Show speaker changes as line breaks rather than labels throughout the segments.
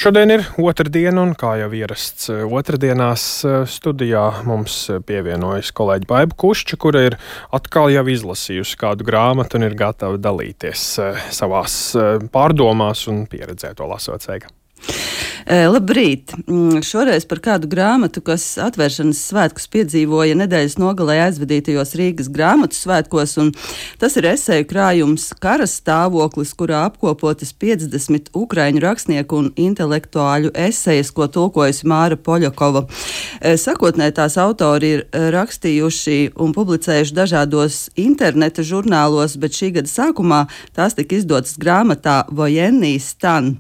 Šodien ir otrdiena, un kā jau ierasts otrdienās studijā mums pievienojas kolēģi Baiba Kušča, kura ir atkal jau izlasījusi kādu grāmatu un ir gatava dalīties savās pārdomās un pieredzē to lasot. Sveika!
Labrīt! Šoreiz par kādu grāmatu, kas atvēršanas svētkus piedzīvoja nedēļas nogalē aizvadītajos Rīgas grāmatu svētkos, un tas ir eseju krājums Kara stāvoklis, kurā apkopotas 50 ukraiņu rakstnieku un intelektuāļu esejas, ko tulkojusi Māra Poļakova. Sakotnē tās autori ir rakstījuši un publicējuši dažādos interneta žurnālos, bet šī gada sākumā tās tika izdotas grāmatā Vojenny stan.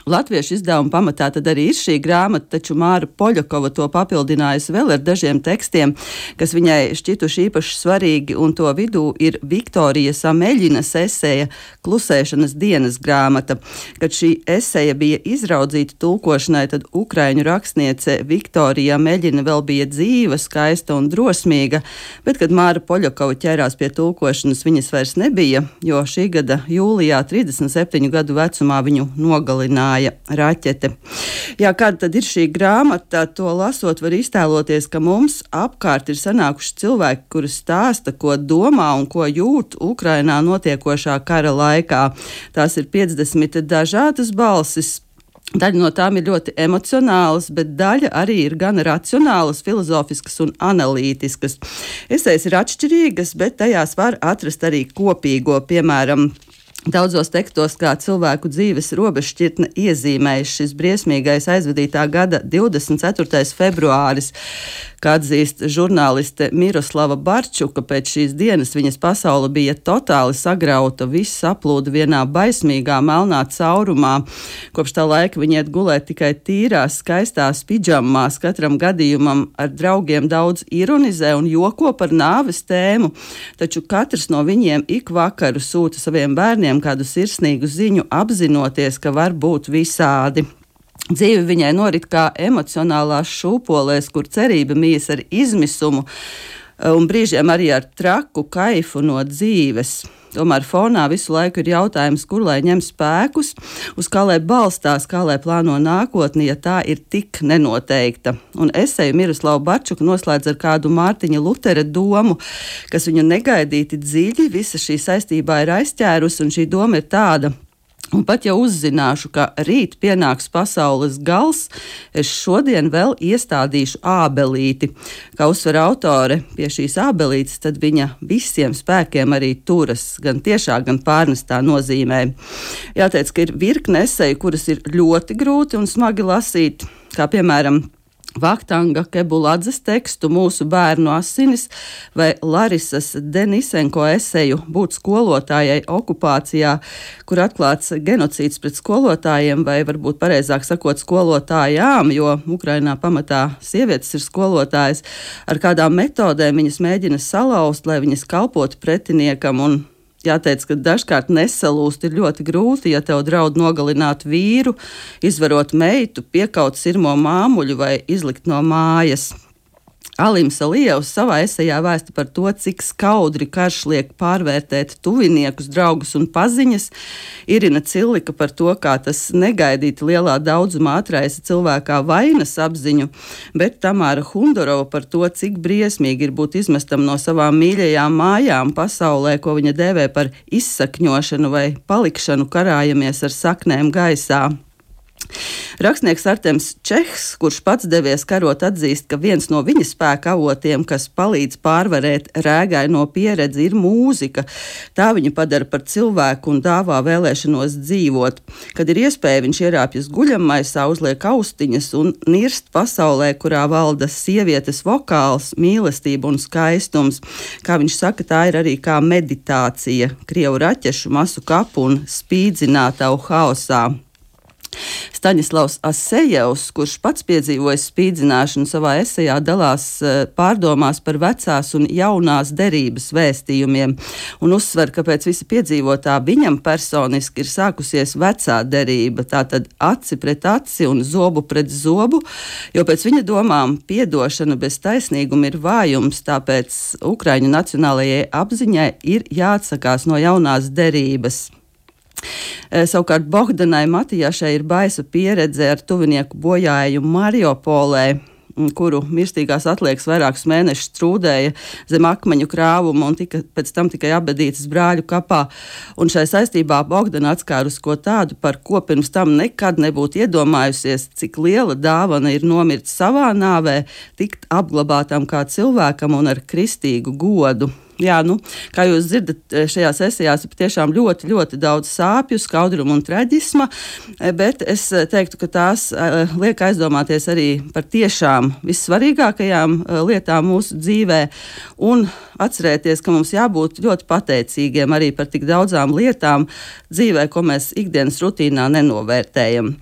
Latviešu izdevuma pamatā tad arī ir šī grāmata, taču Māra Poļakova to papildinājusi vēl ar dažiem tekstiem, kas viņai šķituši īpaši svarīgi, un to vidū ir Viktorijas Ameļinas eseja Klusēšanas dienas grāmata. Kad šī eseja bija izraudzīta tulkošanai, tad ukraiņu rakstniece Viktorija Ameļina vēl bija dzīva, skaista un drosmīga, bet, kad Māra Poļakova ķērās pie tulkošanas, viņas vairs nebija, jo šī gada jūlijā 37 gadu vecumā viņu nogalināja raķete. Jā, kāda tad ir šī grāmata? To lasot var iztēloties, ka mums apkārt ir sanākuši cilvēki, kuri stāsta, ko domā un ko jūt Ukrainā notiekošā kara laikā. Tās ir 50 dažādas balsis. Daļa no tām ir ļoti emocionālas, bet daļa arī ir gan racionālas, filozofiskas un analītiskas. Esejas ir atšķirīgas, bet tajās var atrast arī kopīgo, piemēram, daudzos tekstos kā cilvēku dzīves robežšķirtne iezīmējis šis briesmīgais aizvadītā gada 24. februāris, kā atzīst žurnāliste Miroslava Barčuka. Pēc šīs dienas viņas pasaule bija totāli sagrauta, viss saplūda vienā baismīgā melnā caurumā. Kopš tā laika viņa iet gulēt tikai tīrās, skaistās pidžamās, katram gadījumam ar draugiem daudz ironizē un joko par nāves tēmu, taču katrs no viņiem ik vakaru sūta saviem bērniem kādu sirsnīgu ziņu, apzinoties, ka var būt visādi. Dzīve viņai norit kā emocionālās šūpolēs, kur cerība mijas ar izmisumu un brīžiem arī ar traku kaifu no dzīves. Tomēr fonā visu laiku ir jautājums, kur lai ņem spēkus, uz kā lai balstās, kā lai plāno nākotni, ja tā ir tik nenoteikta. Un eseju Miroslava Barčuka noslēdz ar kādu Mārtiņa Lutera domu, kas viņu negaidīti dziļi visa šī saistībā ir aizķērusi, un šī doma ir tāda: un pat ja uzzināšu, ka rīt pienāks pasaules gals, es šodien vēl iestādīšu ābelīti. Kā uzsver autore, pie šīs ābelītes tad viņa visiem spēkiem arī turas, gan tiešā, gan pārnestā nozīmē. Jāteic, ka ir virkne eseju, kuras ir ļoti grūti un smagi lasīt, kā piemēram Vahtanga Kebuladzes tekstu Mūsu bērnu asinis vai Larisas Denisenko eseju Būt skolotājai okupācijā, kur atklāts genocīds pret skolotājiem, vai varbūt pareizāk sakot skolotājām, jo Ukrainā pamatā sievietes ir skolotājas, ar kādām metodēm viņas mēģina salauzt, lai viņas kalpotu pretiniekam. Un jāteic, ka dažkārt nesalūst ir ļoti grūti, ja tev draud nogalināt vīru, izvarot meitu, piekaut sirmo māmuļu vai izlikt no mājas. Alims Alijevs savā esejā vēsta par to, cik skaudri karš liek pārvērtēt tuviniekus, draugus un paziņas. Irina Cillika par to, kā tas negaidīti lielā daudzumā atraisa cilvēkā vainas apziņu, bet Tamāra Hundorova par to, cik briesmīgi ir būt izmestam no savām mīļajām mājām pasaulē, ko viņa dēvē par izsakņošanu vai palikšanu karājamies ar saknēm gaisā. Rakstnieks Artems Čehs, kurš pats devies karot, atzīst, ka viens no viņa spēka avotiem, kas palīdz pārvarēt rēgaino pieredzi, ir mūzika. Tā viņu padara par cilvēku un dāvā vēlēšanos dzīvot. Kad ir iespēja, viņš ierāpjas guļammaisā, uzliek austiņas un nirst pasaulē, kurā valda sievietes vokāls, mīlestība un skaistums. Kā viņš saka, tā ir arī kā meditācija, krievu raķešu masu kapu un spīdzinātavu haosā. Staņislavs Asejevs, kurš pats piedzīvojis spīdzināšanu, savā esejā dalās pārdomās par vecās un jaunās derības vēstījumiem un uzsver, ka pēc visa piedzīvotā viņam personiski ir sākusies vecā derība, tātad aci pret aci un zobu pret zobu, jo pēc viņa domām piedošana bez taisnīguma ir vājums, tāpēc Ukraiņu nacionālajai apziņai ir jāatsakās no jaunās derības. Savukārt Bohdanai Matijašai ir baisa pieredze ar tuvinieku bojājumu Mariupolē, kuru mirstīgās atliekas vairākus mēnešus trūdēja zem akmeņu krāvuma un pēc tam tikai apbedītas brāļu kapā. Un šai saistībā Bohdana atskārus ko tādu, par ko pirms tam nekad nebūtu iedomājusies, cik liela dāvana ir nomirt savā nāvē, tikt apglabātam kā cilvēkam un ar kristīgu godu. Jā, kā jūs dzirdat, šajā sesijā ir patiešām ļoti, ļoti daudz sāpju, skaudruma un traģisma, bet es teiktu, ka tās liek aizdomāties arī par tiešām vissvarīgākajām lietām mūsu dzīvē un atcerēties, ka mums jābūt ļoti pateicīgiem arī par tik daudzām lietām dzīvē, ko mēs ikdienas rutīnā nenovērtējam.